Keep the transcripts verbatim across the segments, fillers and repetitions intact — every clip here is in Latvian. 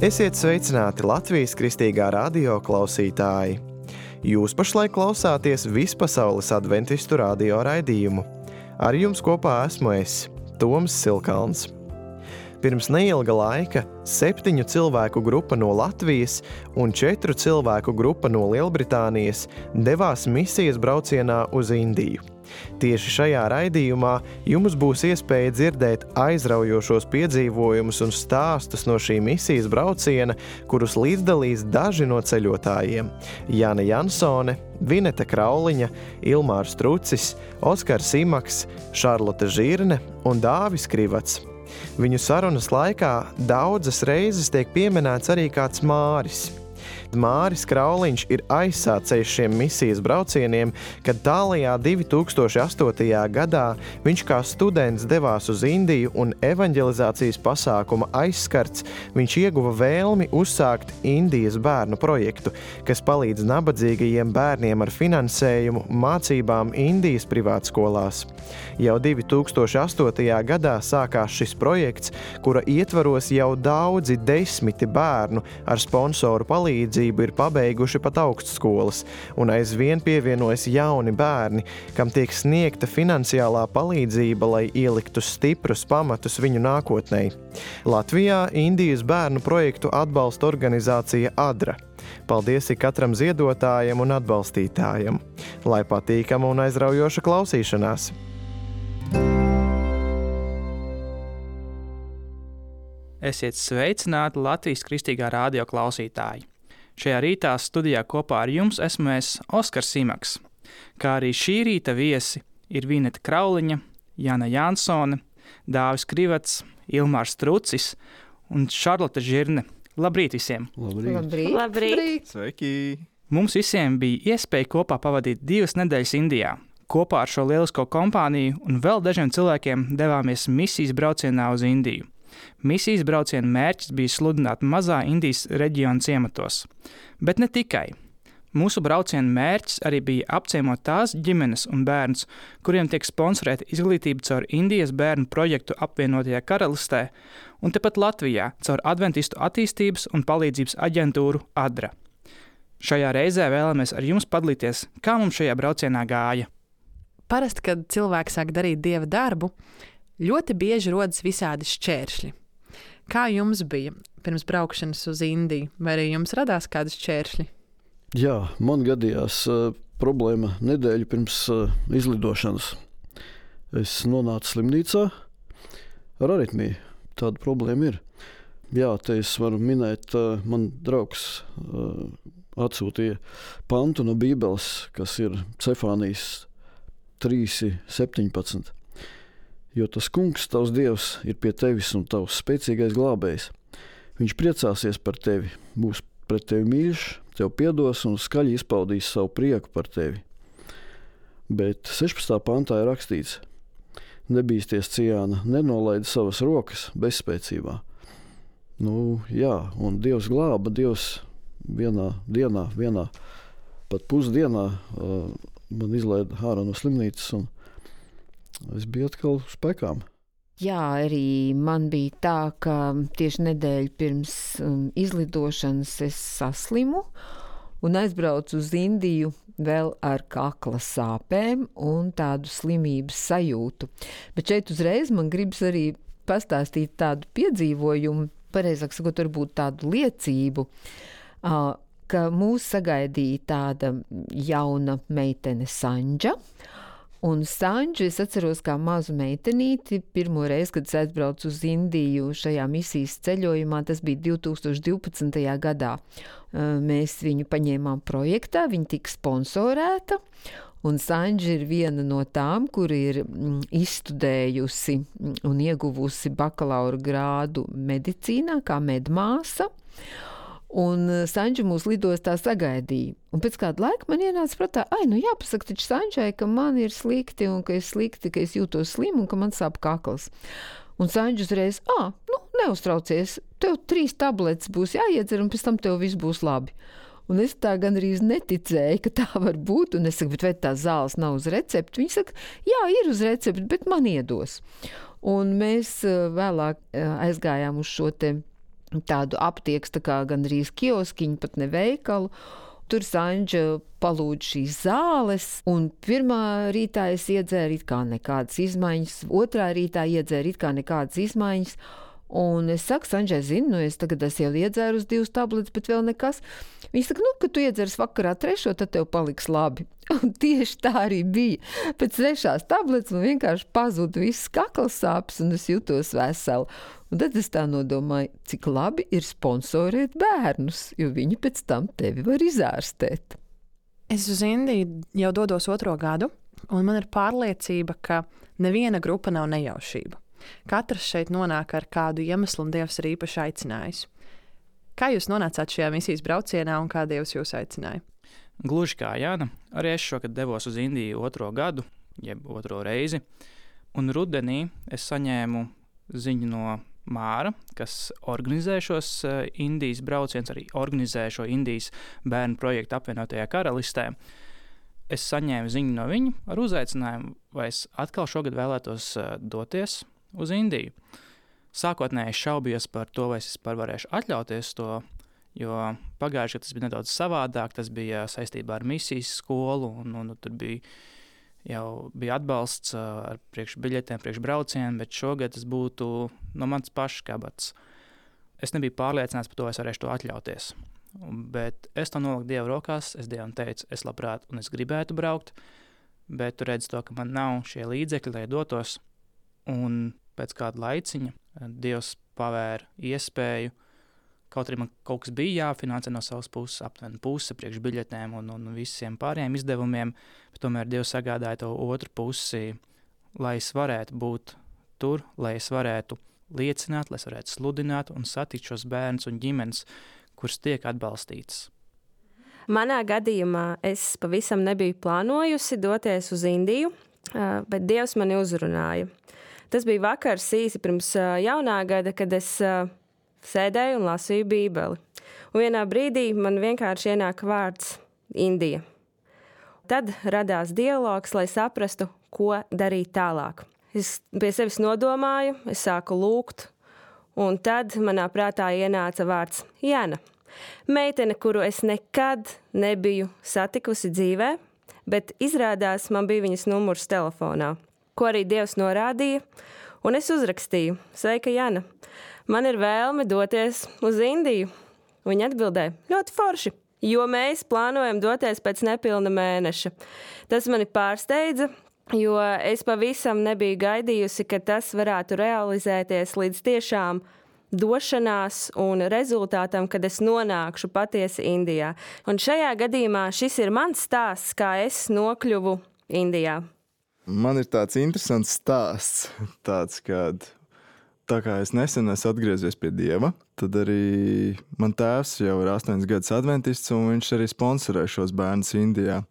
Esiet sveicināti Latvijas Kristīgā radio klausītāji! Jūs pašlaik klausāties Vispasaules adventistu radio raidījumu. Ar jums kopā esmu es, Toms Silkalns. Pirms neilga laika septiņu cilvēku grupa no Latvijas un četru cilvēku grupa no Lielbritānijas devās misijas braucienā uz Indiju. Tieši šajā raidījumā jums būs iespēja dzirdēt aizraujošos piedzīvojumus un stāstus no šī misijas brauciena, kurus līdzdalīs daži no ceļotājiem – Jana Jansone, Vineta Krauliņa, Ilmārs Trucis, Oskars Simaks, Šarlote Žirne un Dāvis Krivats. Viņu sarunas laikā daudzas reizes tiek pieminēts arī kāds Māris. Māris Krauliņš ir aizsācējs šiem misijas braucieniem, kad tālajā divi tūkstoši astotajā gadā viņš kā students devās uz Indiju un evaņģelizācijas pasākuma aizskarts viņš ieguva vēlmi uzsākt Indijas bērnu projektu, kas palīdz nabadzīgajiem bērniem ar finansējumu mācībām Indijas privātskolās. Jau divi tūkstoši astotajā gadā sākās šis projekts, kura ietvaros jau daudzi desmiti bērnu ar sponsoru palīdzību ir pabeiguši pat augstskolas, un aizvien pievienojas jauni bērni, kam tiek sniegta finansiālā palīdzība, lai ieliktu stiprus pamatus viņu nākotnei. Latvijā Indijas bērnu projektu atbalsta organizācija ADRA. Paldies katram ziedotājam un atbalstītājam. Lai patīkama un aizraujoša klausīšanās! Esiet sveicināti Latvijas Kristīgā radio klausītāji! Šajā rītā studijā kopā ar jums esmu es, Oskars Simaks, kā arī šī rīta viesi ir Vineta Krauliņa, Jana Jansone, Dāvis Krivats, Ilmārs Trucis un Šarlote Žirne. Labrīt visiem! Labrīt! Labrīt. Labrīt. Sveiki! Mums visiem bija iespēja kopā pavadīt divas nedēļas Indijā. Kopā ar šo lielisko kompāniju un vēl dažiem cilvēkiem devāmies misijas braucienā uz Indiju. Misijas brauciena mērķis bija sludināt mazā Indijas reģiona ciematos. Bet ne tikai. Mūsu brauciena mērķis arī bija apciemot tās ģimenes un bērnus, kuriem tiek sponsorēta izglītība caur Indijas bērnu projektu apvienotajā karalistē un tepat Latvijā caur Adventistu attīstības un palīdzības aģentūru ADRA. Šajā reizē vēlamies ar jums padalīties, kā mums šajā braucienā gāja. Parasti, kad cilvēki sāk darīt dieva darbu, ļoti bieži rodas visādi šķēršļi. Kā jums bija pirms braukšanas uz Indiju? Vai arī jums radās kādi šķēršļi? Jā, man gadījās uh, problēma nedēļu pirms uh, izlidošanas. Es nonācu slimnīcā ar aritmiju. Tāda problēma ir. Jā, te es varu minēt, uh, man draugs uh, atsūtīja pantu no Bībeles, kas ir Cefānijas trīs septiņpadsmit. Jo tas kungs, tavs dievs, ir pie tevis un tavs spēcīgais glābējs. Viņš priecāsies par tevi, būs pret tevi mīļš, tev piedos un skaļi izpaudīs savu prieku par tevi. Bet sešpadsmitā pantā ir rakstīts: nebīsties ciāna, nenolaidi savas rokas bezspēcībā. Nu, jā, un Dievs glāba, Dievs vienā dienā, vienā pat pusdienā uh, man izlaida ārā no slimnīcas un es biju atkal uz pekām. Jā, arī man bija tā, ka tieši nedēļu pirms um, izlidošanas es saslimu un aizbraucu uz Indiju vēl ar kakla sāpēm un tādu slimības sajūtu. Bet šeit uzreiz man gribas arī pastāstīt tādu piedzīvojumu, pareizāk sakot, varbūt tādu liecību, uh, ka mūs sagaidīja tāda jauna meitene Sanģa. Un Sanģu es atceros kā mazu meitenīti. Pirmo reizi, kad es aizbraucu uz Indiju šajā misijas ceļojumā, tas bija divi tūkstoši divpadsmitajā gadā. Mēs viņu paņēmām projektā, viņa tika sponsorēta. Un Sanģa ir viena no tām, kur ir izstudējusi un ieguvusi bakalaura grādu medicīnā kā medmāsa. Un Sanģa mūs lidostā sagaidīja. Un pēc kāda laika man ienāca prātā, ai, nu jāpasaka taču Sanģai, ka man ir slikti un ka es slikti, ka es jūtos slimu un ka man sāp kakls. Un Sanģa uzreiz, ā, nu neuztraucies, tev trīs tabletes būs jāiedzer un pēc tam tev viss būs labi. Un es tā gandrīz neticēju, ka tā var būt. Un es saku, bet vai tā zāles nav uz recepti? Viņa saka, jā, ir uz recepti, bet man iedos. Un mēs vēlāk aizgājām uz šo te tādu aptiekas, tā kā gandrīz kioskiņu, pat ne veikalu. Tur Saņģa palūdz šīs zāles, un pirmā rītā es iedzēru it kā nekādas izmaiņas, otrā rītā iedzēru it kā nekādas izmaiņas, un es saku, Saņģai, zinu, nu es tagad esmu jau iedzēru uz divas tabletes, bet vēl nekas. Viņa saka, nu, ka tu iedzers vakarā trešo, tad tev paliks labi. Un tieši tā arī bija. Pēc trešās tabletes man vienkārši pazuda viss kakls sāpes, un es jutos vesela. Un tad es tā nodomāju, cik labi ir sponsorēt bērnus, jo viņi pēc tam tevi var izārstēt. Es uz Indiju jau dodos otro gadu, un man ir pārliecība, ka neviena grupa nav nejaušība. Katrs šeit nonāk ar kādu iemeslu, un Dievs ir īpaši aicinājis. Kā jūs nonācāt šajā misijas braucienā, un kā Dievs jūs aicināja? Gluži kā Jāna, arī es šogad devos uz Indiju otro gadu, jeb otro reizi, un rudenī es saņēmu ziņu no Māra, kas organizē šos Indijas braucienus, arī organizē šo Indijas bērnu projektu apvienotajā karalistē. Es saņēmu ziņu no viņa ar uzaicinājumu, vai es atkal šogad vēlētos doties uz Indiju. Sākotnēji es šaubījos par to, vai es vispār varēšu atļauties to, jo pagājuši, ka tas bija nedaudz savādāk, tas bija saistībā ar misijas skolu, un, un tur bija jau bija atbalsts ar priekšbiļetēm, priekšbraucieniem, bet šogad tas būtu no mans pašs kabats. Es nebiju pārliecināts par to, vai es varēšu to atļauties. Bet es to noliku Dieva rokās, es Dievam teicu, es labprāt un es gribētu braukt, bet tu redzi to, ka man nav šie līdzekļi, lai dotos. Un pēc kāda laiciņa Dievs pavēra iespēju, kaut arī man kaut kas bija jāfinansē no savas puses, aptuveni puse priekš biļetēm un, un visiem pārējiem izdevumiem, bet tomēr Dievs sagādāja to otru pusi, lai es varētu būt tur, lai es varētu liecināt, lai es varētu sludināt un satikt šos bērnus un ģimenes, kuras tiek atbalstītas. Manā gadījumā es pavisam nebiju plānojusi doties uz Indiju, bet Dievs mani uzrunāja. Tas bija vakars īsi pirms jaunā gada, kad es sēdēju un lasīju Bībeli. Un vienā brīdī man vienkārši ienāk vārds Indija. Tad radās dialogs, lai saprastu, ko darīt tālāk. Es pie sevis nodomāju, es sāku lūgt, un tad manā prātā ienāca vārds Jana. Meitene, kuru es nekad nebiju satikusi dzīvē, bet izrādās man bija viņas numurs telefonā, ko arī Dievs norādīja, un es uzrakstīju, sveika Jana. Man ir vēlme doties uz Indiju. Viņa atbildēja, ļoti forši, jo mēs plānojam doties pēc nepilna mēneša. Tas mani pārsteidza, jo es pavisam nebiju gaidījusi, ka tas varētu realizēties līdz tiešām došanās un rezultātam, kad es nonākšu patiesi Indijā. Un šajā gadījumā šis ir mans stāsts, kā es nokļuvu Indijā. Man ir tāds interesants stāsts, tāds, kad tā kā es nesen esmu atgriezies pie Dieva, tad arī man tēvs jau ir astoņas gadus adventists, un viņš arī sponsorē šos bērnus Indijā.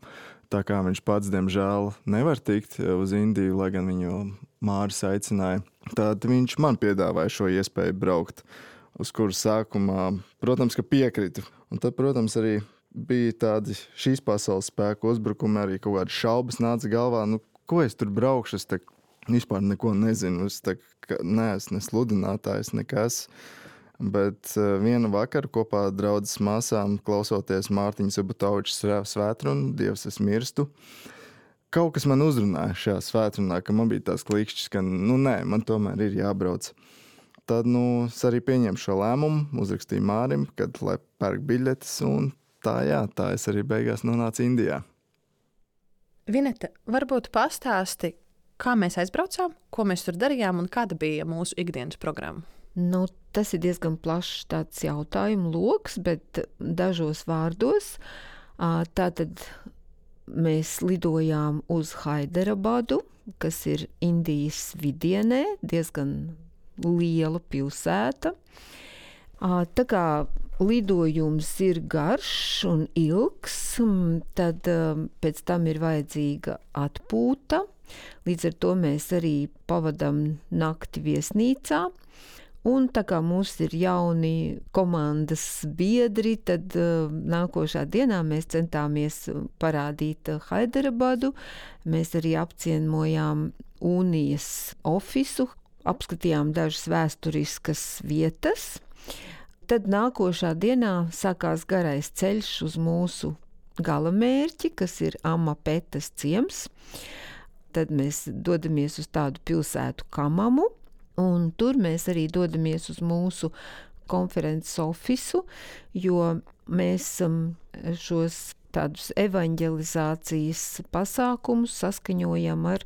Tā kā viņš pats, diemžēl, nevar tikt uz Indiju, lai gan viņu Māris aicināja, tad viņš man piedāvāja šo iespēju braukt, uz kuru sākumā, protams, ka piekritu. Un tad, protams, arī bija tādi šīs pasaules spēku uzbrukumi, arī kaut kādi šaubas nāca galvā, nu, ko es tur braukšu, es te vispār neko nezinu, es tā kā neesmu ne sludinātājs, nekas. Bet uh, vienu vakaru kopā ar draudzes māsām, klausoties Mārtiņa Subotoviča svētrunu, Dievs es mirstu, kaut kas man uzrunāja šajā svētrunā, ka man bija tās klikšķis, ka nu nē, man tomēr ir jābrauc. Tad nu, es arī pieņēmu šo lēmumu, uzrakstīju Mārim, kad lai pērk biļetes, un tā jā, tā es arī beigās nonācu Indijā. Vineta, varbūt pastāsti, kā mēs aizbraucām, ko mēs tur darījām un kāda bija mūsu ikdienas programma? Nu, tas ir diezgan plašs tāds jautājumu loks, bet dažos vārdos. Tātad mēs lidojām uz Haidarabadu, kas ir Indijas vidienē, diezgan liela pilsēta. Tā kā lidojums ir garš un ilgs, tad pēc tam ir vajadzīga atpūta. Līdz ar to mēs arī pavadām nakti viesnīcā. Un tā kā mums ir jauni komandas biedri, tad uh, nākošā dienā mēs centāmies parādīt Haidarabadu. Mēs arī apciemojām Unijas ofisu, apskatījām dažas vēsturiskas vietas. Tad nākošā dienā sākās garais ceļš uz mūsu galamērķi, kas ir Amapetas ciems. Tad mēs dodamies uz tādu pilsētu Kamamu, un tur mēs arī dodamies uz mūsu konferences ofisu, jo mēs šos tādus evaņģelizācijas pasākumus saskaņojam ar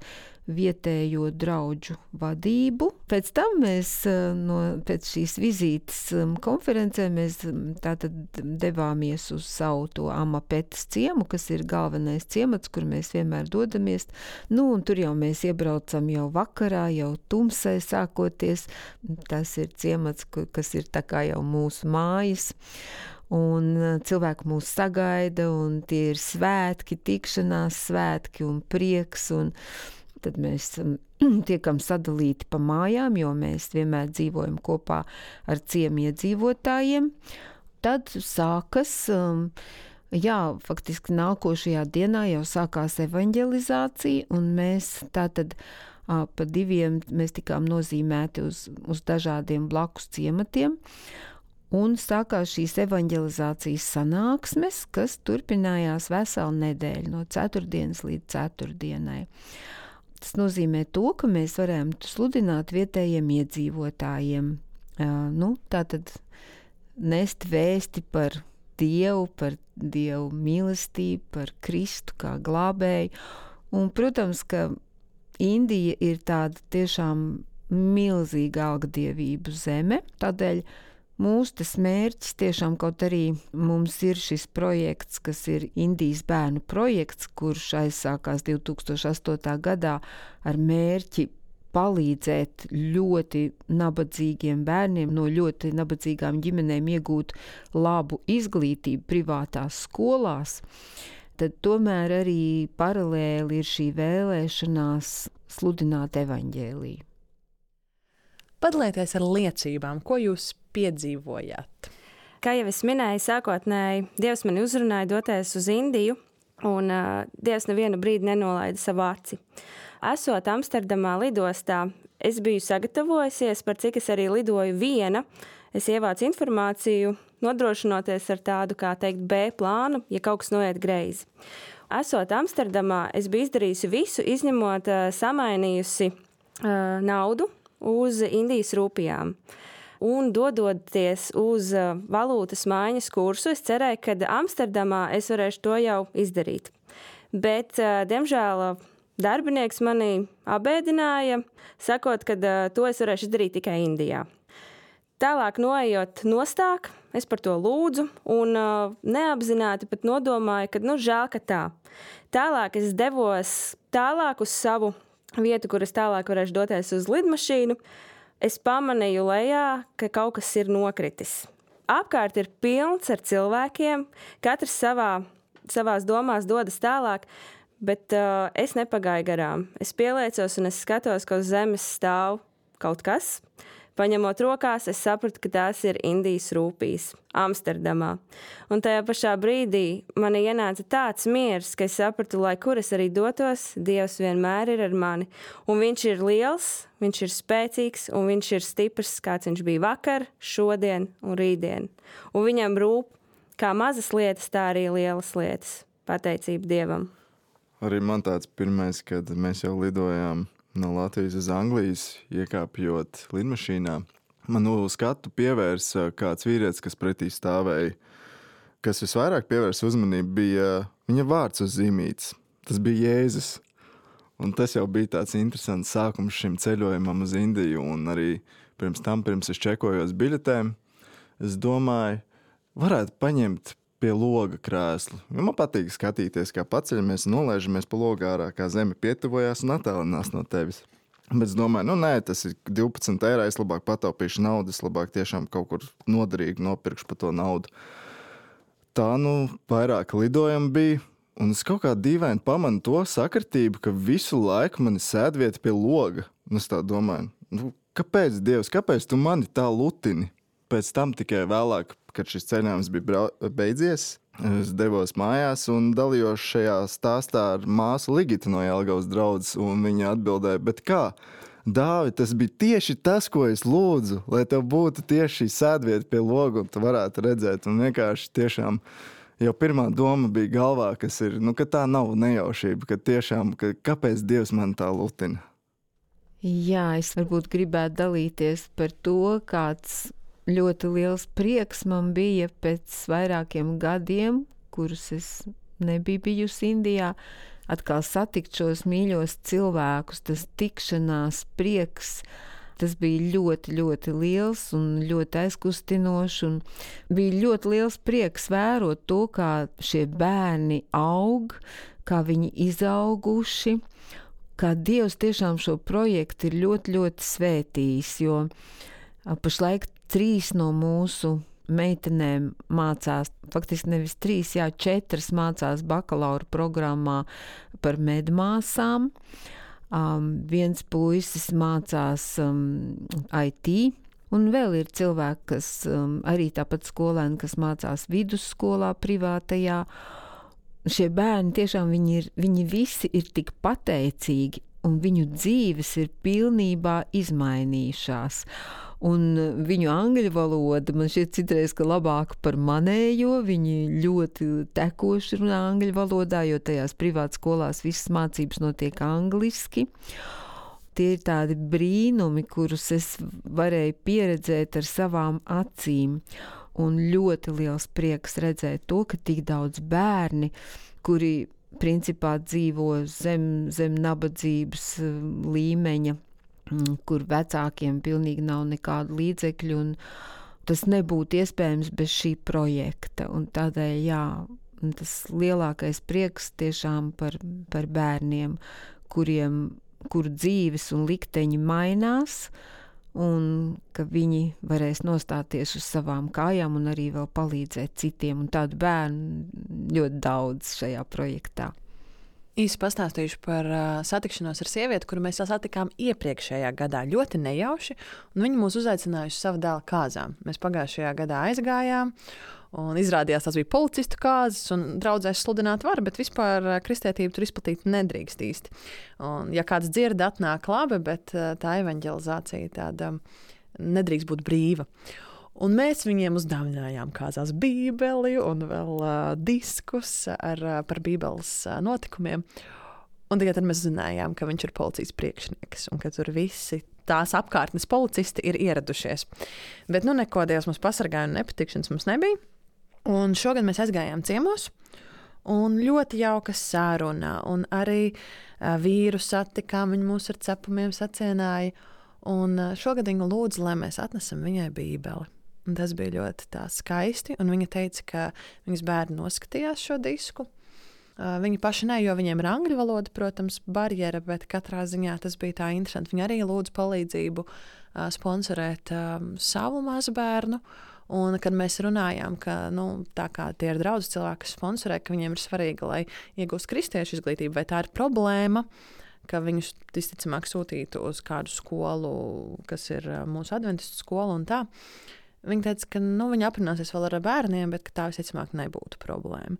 vietējo draudžu vadību. Pēc tam mēs, no, pēc šīs vizītes konferencē, mēs tātad devāmies uz savu to Amapetas ciemu, kas ir galvenais ciemats, kur mēs vienmēr dodamies. Nu, un tur jau mēs iebraucam jau vakarā, jau tumsai sākoties. Tas ir ciemats, kas ir tā kā jau mūsu mājas. Un cilvēki mūs sagaida, un tie ir svētki, tikšanās svētki un prieks, un tad mēs tiekam sadalīti pa mājām, jo mēs vienmēr dzīvojam kopā ar ciemiedzīvotājiem. Tad sākas, jā, faktiski nākošajā dienā jau sākās evaņģelizācija, un mēs tātad pa diviem mēs tikām nozīmēti uz, uz dažādiem blakus ciematiem. Un sākās šīs evaņģelizācijas sanāksmes, kas turpinājās veselu nedēļu, no ceturtdienas līdz ceturtdienai. Tas nozīmē to, ka mēs varējām sludināt vietējiem iedzīvotājiem. Nu, tātad nest vēsti par Dievu, par Dievu mīlestību, par Kristu kā glābēju. Un, protams, ka Indija ir tāda tiešām milzīga algdievību zeme, tādēļ mūsu tas mērķis tiešām, kaut arī mums ir šis projekts, kas ir Indijas bērnu projekts, kurš aizsākās divi tūkstoši astotajā gadā ar mērķi palīdzēt ļoti nabadzīgiem bērniem no ļoti nabadzīgām ģimenēm iegūt labu izglītību privātās skolās, tad tomēr arī paralēli ir šī vēlēšanās sludināt evaņģēliju. Padalieties ar liecībām, ko jūs piedzīvojāt. Kā jau es minēju, sākotnēji Dievs mani uzrunāja doties uz Indiju, un uh, Dievs nevienu brīdi nenolaida savu aci. Esot Amsterdamā lidostā, es biju sagatavojusies, par cik es arī lidoju viena. Es ievācu informāciju, nodrošinoties ar tādu, kā teikt, B plānu, ja kaut kas noiet greizi. Esot Amsterdamā, es biju izdarījusi visu, izņemot uh, samainījusi uh, naudu uz Indijas rūpijām. Un dodoties uz valūtas maiņas kursu, es cerēju, ka Amsterdamā es varēšu to jau izdarīt. Bet, diemžēl, darbinieks mani abēdināja, sakot, ka to es varēšu izdarīt tikai Indijā. Tālāk noejot nostāk, es par to lūdzu un neapzināti pat nodomāju, ka nu žēl, ka tā. Tālāk es devos tālāk uz savu vietu, kur es tālāk varēšu doties uz lidmašīnu. Es pamanīju lejā, ka kaut kas ir nokritis. Apkārt ir pilns ar cilvēkiem, katrs savā, savās domās dodas tālāk, bet uh, es nepagāju garām. Es pieliecos un es skatos, ka uz zemes stāv kaut kas. Paņemot rokās, es sapratu, ka tās ir Indijas rūpijas Amsterdamā. Un tajā pašā brīdī man ienāca tāds miers, ka es sapratu, lai kur es arī dotos, Dievs vienmēr ir ar mani. Un viņš ir liels, viņš ir spēcīgs un viņš ir stiprs, kāds viņš bija vakar, šodien un rītdien. Un viņam rūp kā mazas lietas, tā arī lielas lietas. Pateicība Dievam. Arī man tāds pirmais, kad mēs jau lidojām no Latvijas uz Anglijas, iekāpjot lidmašīnā. Man uz skatu pievērsa kāds vīrietis, kas pretī stāvēja. Kas visvairāk pievērsa uzmanību, bija viņa vārds uz zīmītes. Tas bija Jēzus. Un tas jau bija tāds interesants sākums šim ceļojumam uz Indiju. Un arī pirms tam, pirms es čekojos biļetēm, es domāju, varētu paņemt pie loga krēslu. Man patīk skatīties, kā paceļamies un nolaižamies pa logu ārā, kā zeme pietuvojās un attālinās no tevis. Bet es domāju, nu nē, tas ir divpadsmit eiro, es labāk pataupīšu naudu, es labāk tiešām kaut kur noderīgi nopirkšu par to naudu. Tā nu vairāk lidojumi bija, un es kaut kā dīvaini pamanu to sakritību, ka visu laiku mani sēdvieta pie loga. Un es tā domāju, nu kāpēc, Dievs, kāpēc tu mani tā lutini? Pēc tam tikai vēlāk, kad šis ceļojums bija beidzies, es devos mājās un dalījos šajā stāstā ar māsu Ligitu no Jelgavas draudzes, un viņa atbildēja, bet kā? Dāvi, tas bija tieši tas, ko es lūdzu, lai tev būtu tieši šī sēdvieta pie loga, un tu varētu redzēt. Un vienkārši tiešām jau pirmā doma bija galvā, kas ir, nu, ka tā nav nejaušība, ka tiešām, ka kāpēc Dievs man tā lutina. Jā, es varbūt gribētu dalīties par to, kāds ļoti liels prieks man bija pēc vairākiem gadiem, kurus es nebiju bijusi Indijā, atkal satikt šos mīļos cilvēkus, tas tikšanās prieks, tas bija ļoti, ļoti liels un ļoti aizkustinošs, un bija ļoti liels prieks vērot to, kā šie bērni aug, kā viņi izauguši, kā Dievs tiešām šo projektu ir ļoti, ļoti svētījis, jo pašlaik trīs no mūsu meitenēm mācās, faktiski nevis trīs, jā, četras mācās bakalaura programmā par medmāsām. Um, viens puisis mācās um, I T, un vēl ir cilvēki, kas um, arī tāpat skolēni, kas mācās vidusskolā privātajā. Šie bērni tiešām viņi, ir, viņi visi ir tik pateicīgi, un viņu dzīves ir pilnībā izmainījušās. Un viņu angļu valoda man šķiet citreiz, ka labāka par manējo, viņi ļoti tekoši runā angļu valodā, jo tajās privātas skolās visas mācības notiek angliski. Tie ir tādi brīnumi, kurus es varēju pieredzēt ar savām acīm, un ļoti liels prieks redzēt to, ka tik daudz bērni, kuri principā dzīvo zem, zem nabadzības līmeņa, kur vecākiem pilnīgi nav nekādu līdzekļu, un tas nebūtu iespējams bez šī projekta. Un tādēļ, jā, tas lielākais prieks tiešām par, par bērniem, kuriem, kuru dzīves un likteņi mainās, un ka viņi varēs nostāties uz savām kājām un arī vēl palīdzēt citiem. Un tādu bērnu ļoti daudz šajā projektā. Īsi pastāstīšu par uh, satikšanos ar sievieti, kuru mēs satikām iepriekšējā gadā ļoti nejauši, un viņa mūs uzaicināja uz savu dēla kāzām. Mēs pagājušajā gadā aizgājām, un izrādījās, tas bija policistu kāzas, un draudzēs sludināt var, bet vispār uh, kristietību tur izplatīt nedrīkst īsti. Un, ja kāds dzird, atnāk labi, bet uh, tā evaņģelizācija tāda nedrīkst būt brīva. Un mēs viņiem uzdāvinājām kāzās bībeli un vēl uh, diskus ar, uh, par bībeles uh, notikumiem. Un tikai tad mēs zinājām, ka viņš ir policijas priekšnieks un ka tur visi tās apkārtnes policisti ir ieradušies. Bet nu neko, Dievs mums pasargāja un nepatikšanas mums nebija. Un šogad mēs aizgājām ciemos un ļoti jauka saruna. Un arī uh, vīru satikām, viņi mūs ar cepumiem sacienāja. Un uh, šogad viņa lūdza, lai mēs atnesam viņai bībeli. Un tas bija ļoti tā skaisti, un viņa teica, ka viņas bērni noskatījās šo disku. Uh, viņi paši ne, jo viņiem ir angļu valoda, protams, barjera, bet katrā ziņā tas bija tā interesanti. Viņi arī lūdza palīdzību uh, sponsorēt um, savu mazbērnu, un kad mēs runājām, ka nu, tā kā tie ir draudzes cilvēki, kas sponsorē, ka viņiem ir svarīgi, lai iegūst kristiešu izglītību, vai tā ir problēma, ka viņus visticamāk sūtītu uz kādu skolu, kas ir uh, mūsu adventistu skola un tā. Viņa teica, ka nu, viņa aprunāsies vēl ar bērniem, bet tā visticamāk nebūtu problēma.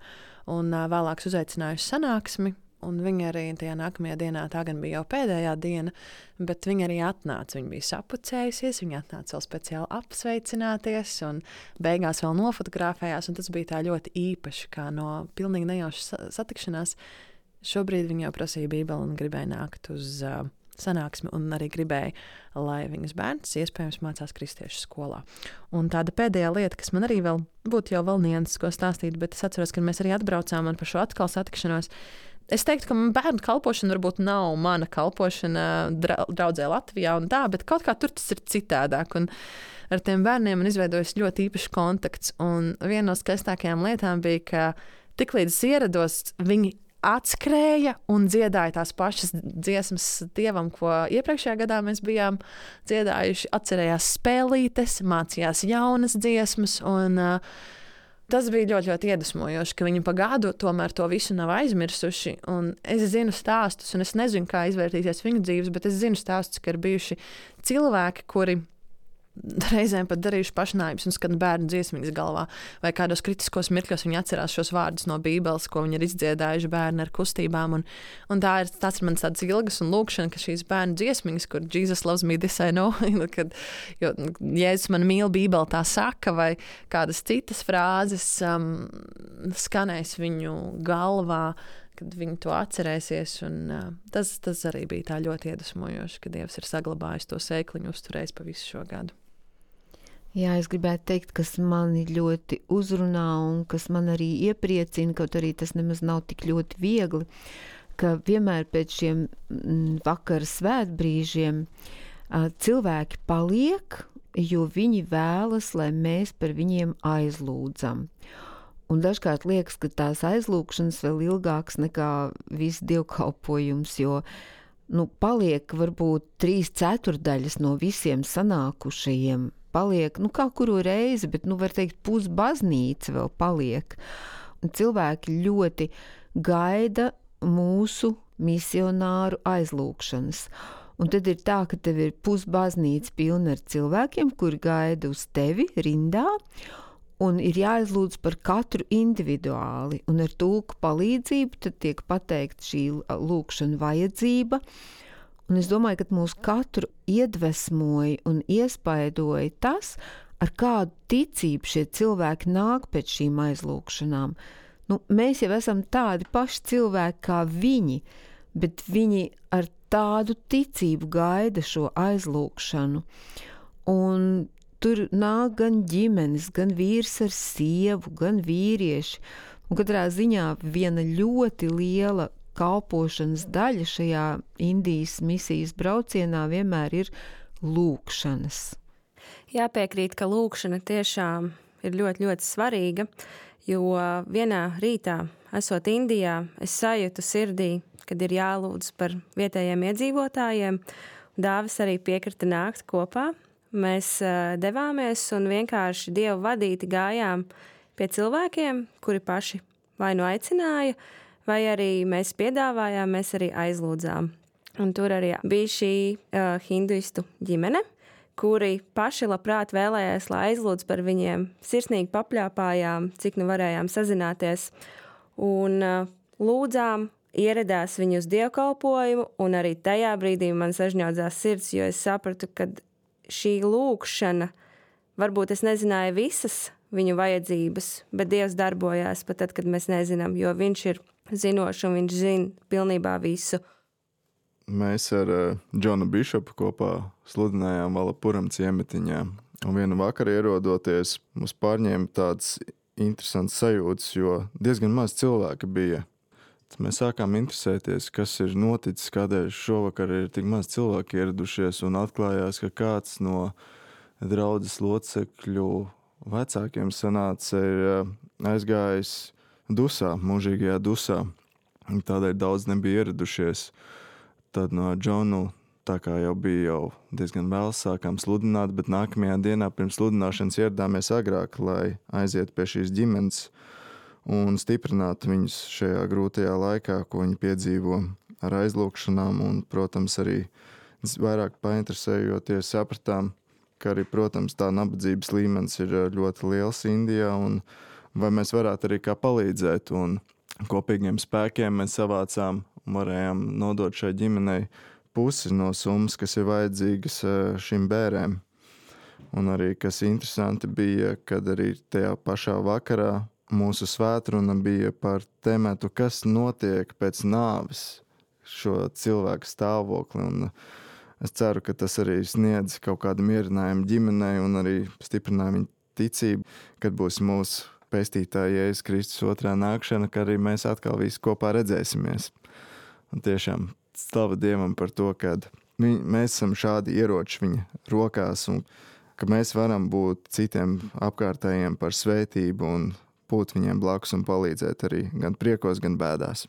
Un uh, vēlāk uzaicinājusi sanāksmi, un viņa arī tajā nākamajā dienā, tā gan bija jau pēdējā diena, bet viņa arī atnāca. Viņa bija sapucējusies, viņa atnāca vēl speciāli apsveicināties, un beigās vēl nofotografējās, un tas bija tā ļoti īpaši, kā no pilnīgi nejaušas satikšanās. Šobrīd viņa jau prasīja bībeli un gribēja nākt uz uh, sanāksmi, un arī gribēja, lai viņas bērns iespējams mācās kristiešu skolā. Un tāda pēdējā lieta, kas man arī vēl būtu jau vēl nianses, ko stāstīt, bet es atceros, ka mēs arī atbraucām un par šo atkal satikšanos. Es teiktu, ka bērnu kalpošana varbūt nav mana kalpošana draudzē Latvijā un tā, bet kaut kā tur tas ir citādāk. Un ar tiem bērniem man izveidojas ļoti īpašs kontakts. Un viena no skaistākajām lietām bija, ka tiklīdz es ierados, viņi atskrēja un dziedāja tās pašas dziesmas Dievam, ko iepriekšējā gadā mēs bijām dziedājuši. Atcerējās spēlītes, mācījās jaunas dziesmas, un uh, tas bija ļoti, ļoti iedvesmojoši, ka viņi pa gadu tomēr to visu nav aizmirsuši. Un es zinu stāstus, un es nezinu, kā izvērtīsies viņu dzīves, bet es zinu stāstus, ka ir bijuši cilvēki, kuri reizēm pat darījuši pašnāvības un skan bērnu dziesmiņas galvā, vai kādos kritiskos mirkļos viņi atcerās šos vārdus no Bībeles, ko viņi ir izdziedājuši bērni ar kustībām. Un, un tā ir, tas ir mans tāds ilgas un lūkšana, ka šīs bērnu dziesmiņas, kur Jesus loves me, this I know, kad jo, Jēzus man mīl, Bībele tā saka, vai kādas citas frāzes um, skanēs viņu galvā, kad viņi to atcerēsies. Un, uh, tas, tas arī bija tā ļoti iedvesmojoši, ka Dievs ir saglabājis to sēkliņu, uzturējis pa visu šo gadu. Jā, es gribētu teikt, kas mani ļoti uzrunā un kas man arī iepriecina, kaut arī tas nemaz nav tik ļoti viegli, ka vienmēr pēc šiem vakara svētbrīžiem uh, cilvēki paliek, jo viņi vēlas, lai mēs par viņiem aizlūdzam. Un dažkārt liekas, ka tās aizlūkšanas vēl ilgāks nekā viss dievkalpojums, jo nu, paliek varbūt trīs ceturdaļas no visiem sanākušajiem. Paliek, nu kā kuru reizi, bet, nu var teikt, pusbaznīca vēl paliek. Un cilvēki ļoti gaida mūsu misionāru aizlūkšanas. Un tad ir tā, ka tev ir pusbaznīca pilna ar cilvēkiem, kuri gaida uz tevi rindā, un ir jāizlūdz par katru individuāli, un ar tulku palīdzību tad tiek pateikt šī lūkšana vajadzība, un es domāju, ka mūs katru iedvesmoja un iespaidoja tas, ar kādu ticību šie cilvēki nāk pēc šīm aizlūkšanām. Nu, mēs jau esam tādi paši cilvēki kā viņi, bet viņi ar tādu ticību gaida šo aizlūkšanu, un tur nāk gan ģimenes, gan vīrs ar sievu, gan vīrieši. Un katrā ziņā viena ļoti liela kalpošanas daļa šajā Indijas misijas braucienā vienmēr ir lūkšanas. Jāpiekrīt, ka lūkšana tiešām ir ļoti, ļoti svarīga, jo vienā rītā, esot Indijā, es sajūtu sirdī, kad ir jālūdz par vietējiem iedzīvotājiem. Dāvis arī piekrita nākt kopā. Mēs uh, devāmies un vienkārši Dievu vadīti gājām pie cilvēkiem, kuri paši vai nu aicināja, vai arī mēs piedāvājām, mēs arī aizlūdzām. Un tur arī bija šī uh, hinduistu ģimene, kuri paši labprāt vēlējās, lai aizlūdz par viņiem, sirsnīgi papļāpājām, cik nu varējām sazināties. Un uh, lūdzām, ieradās viņu uz dievkalpojumu, un arī tajā brīdī man sažņaudzās sirds, jo es sapratu, ka šī lūkšana, varbūt es nezināju visas viņu vajadzības, bet Dievs darbojās pat tad, kad mēs nezinām, jo viņš ir zinošs un viņš zina pilnībā visu. Mēs ar uh, Džonu Bišopu kopā sludinājām Valapuram ciemetiņā, un vienu vakaru ierodoties, mums pārņēma tāds interesants sajūtas, jo diezgan maz cilvēki bija. Tad mēs sākām interesēties, kas ir noticis, kādēļ šovakar ir tik maz cilvēki ieradušies, un atklājās, ka kāds no draudzes locekļu vecākiem sanāca ir aizgājis dusā, mūžīgajā dusā. Tādēļ daudz nebija ieradušies. Tad no Džonu, tā kā jau bija jau diezgan vēl, sākām sludināt, bet nākamajā dienā pirms sludināšanas ieradāmies agrāk, lai aiziet pie šīs ģimenes un stiprināt viņus šajā grūtajā laikā, ko viņi piedzīvo ar aizlūkšanām, un, protams, arī vairāk painteresējoties sapratām, ka arī, protams, tā nabadzības līmenis ir ļoti liels Indijā, un vai mēs varētu arī kā palīdzēt, un kopīgiem spēkiem mēs savācām un varējām nodot šai ģimenei pusi no summas, kas ir vajadzīgas šim bērēm. Un arī, kas interesanti bija, kad arī tajā pašā vakarā mūsu svētruna bija par tematu, kas notiek pēc nāves šo cilvēku stāvokli. Un es ceru, ka tas arī sniedz kaut kādu mierinājumu ģimenei un arī stiprināja viņu ticību, kad būs mūsu pestītāja Jēzus Kristus otrā nākšana, ka arī mēs atkal visi kopā redzēsimies. Un tiešām slava Dievam par to, ka viņ, mēs esam šādi ieroči viņa rokās un ka mēs varam būt citiem apkārtējiem par svētību un būt viņiem blakus un palīdzēt arī gan priekos, gan bēdās.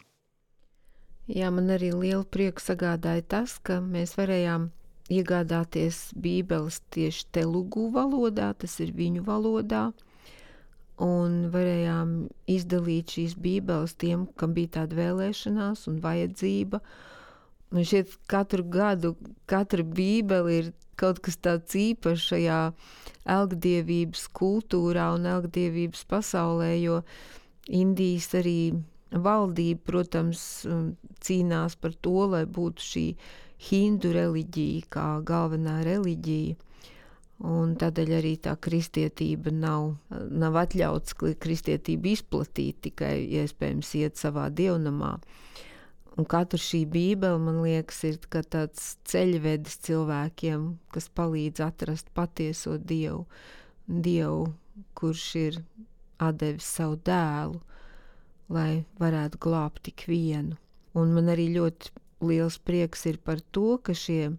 Jā, man arī lielu prieku sagādāja tas, ka mēs varējām iegādāties bībeles tieši telugu valodā, tas ir viņu valodā, un varējām izdalīt šīs bībeles tiem, kam bija tāda vēlēšanās un vajadzība. Man šķiet, katru gadu, katra bībele ir kaut kas tāds īpašs šajā elgdievības kultūrā un elgdievības pasaulē, jo Indijas arī valdība, protams, cīnās par to, lai būtu šī hindu reliģija kā galvenā reliģija. Un tādēļ arī tā kristietība nav, nav atļauts kristietību izplatīt, tikai iespējams iet savā dievnamā. Un katra šī bībele, man liekas, ir kā tāds ceļvedis cilvēkiem, kas palīdz atrast patieso Dievu, Dievu, kurš ir atdevis savu dēlu, lai varētu glābt tik vienu. Un man arī ļoti liels prieks ir par to, ka šie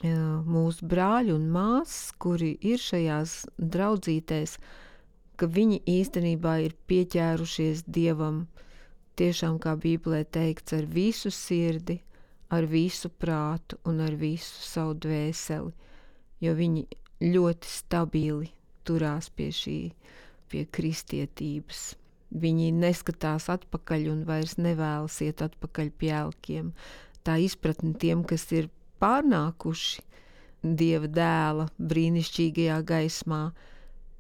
jā, mūsu brāļi un māsas, kuri ir šajās draudzītēs, ka viņi īstenībā ir pieķērušies Dievam, tiešām, kā Bībelē teikts, ar visu sirdi, ar visu prātu un ar visu savu dvēseli, jo viņi ļoti stabili turās pie šī, pie kristietības. Viņi neskatās atpakaļ un vairs nevēlas iet atpakaļ pie elkiem. Tā izpratne tiem, kas ir pārnākuši Dieva dēla brīnišķīgajā gaismā,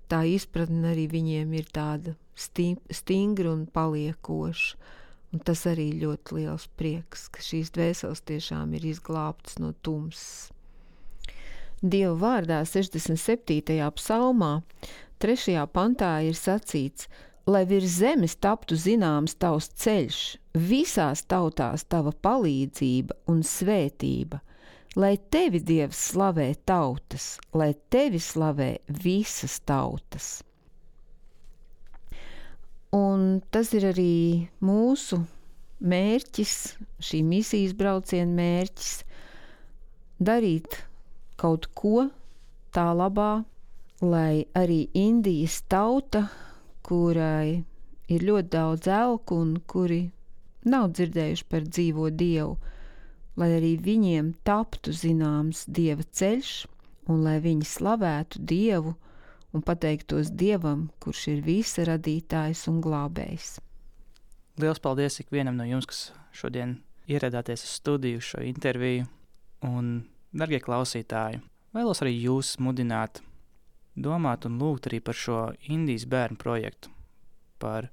tā izpratne arī viņiem ir tāda stingra un paliekoša. Un tas arī ļoti liels prieks, ka šīs dvēseles tiešām ir izglābtas no tumsas. Dieva vārdā sešdesmit septītajā psalmā, trešajā pantā ir sacīts: lai virs zemes taptu zināms tavs ceļš, visās tautās tava palīdzība un svētība, lai tevi Dievs slavē tautas, lai tevi slavē visas tautas. Un tas ir arī mūsu mērķis, šī misijas brauciena mērķis, darīt kaut ko tā labā, lai arī Indijas tauta, kurai ir ļoti daudz elku un kuri nav dzirdējuši par dzīvo Dievu, lai arī viņiem taptu zināms Dieva ceļš un lai viņi slavētu Dievu un pateiktos Dievam, kurš ir visa radītājs un glābējs. Liels paldies ikvienam no jums, kas šodien ieradāties uz studiju šo interviju. Un, dargie klausītāji, vēlos arī jūs mudināt domāt un lūgt arī par šo Indijas bērnu projektu, par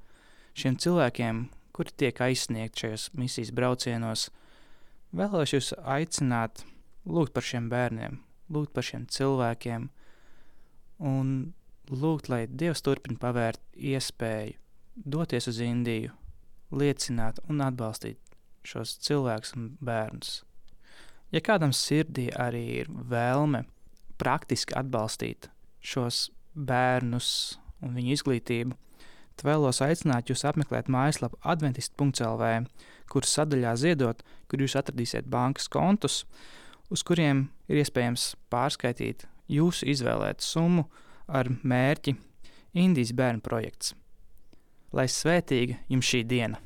šiem cilvēkiem, kuri tiek aizsniegti šajos misijas braucienos. Vēlos jūs aicināt lūgt par šiem bērniem, lūgt par šiem cilvēkiem un lūgt, lai Dievs turpina pavērt iespēju doties uz Indiju, liecināt un atbalstīt šos cilvēkus un bērnus. Ja kādam sirdī arī ir vēlme praktiski atbalstīt šos bērnus un viņu izglītību, tad vēlos aicināt jūs apmeklēt mājaslapu adventist punkts el vē, kur sadaļā ziedot, kur jūs atradīsiet bankas kontus, uz kuriem ir iespējams pārskaitīt jūsu izvēlētu summu ar mērķi Indijas bērnu projekts. Lai svētīga jums šī diena!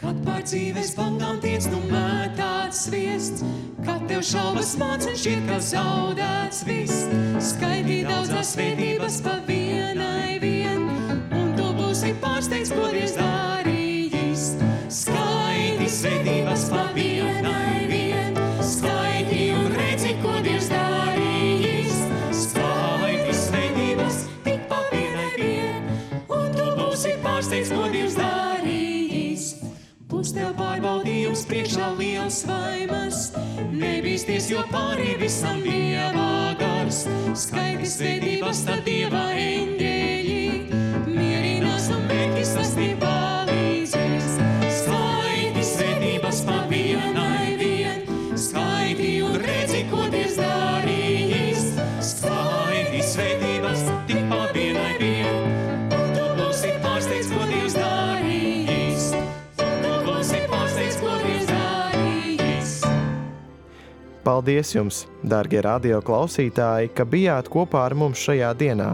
Kad pār dzīves bangām tiec nu mētāts sviests, kad tev šaubas māc un šķiet, ka zaudēts viss, skaidī daudzās svētības pa vienai vien, un tu būsi pārsteigts, ko Dievs darījis. Skaidī svētības pa vienai vien, skaidī un redzi, ko Dievs darījis. Skaidī svētības tik pa vienai vien, un tu būsi pārsteigts, ko Dievs darījis. Būs tev pārbaudījums priekšā liels vaimas, nebīsties, jo pārī visam Dieva gars. Skaidī svētības tad Dieva eņģeļi, mierinās un mērķis tas tev palīdzēs. Skaidī svētības pa vienai vien, skaidī un redzi, ko Dievs darījis. Skaidī svētības tik pa vienai vien, un tu būsi pārsteigts, ko Dievs darījis. Un tu būsi pārsteigts, ko Dievs darījis. Paldies jums, dārgie radio klausītāji, ka bijāt kopā ar mums šajā dienā.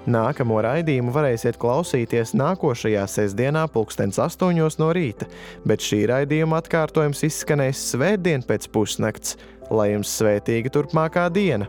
Nākamo raidījumu varēsiet klausīties nākošajā sestdienā pulkstens astoņos no rīta, bet šī raidījuma atkārtojums izskanēs svētdien pēc pusnakts. Lai jums svētīga turpmākā diena!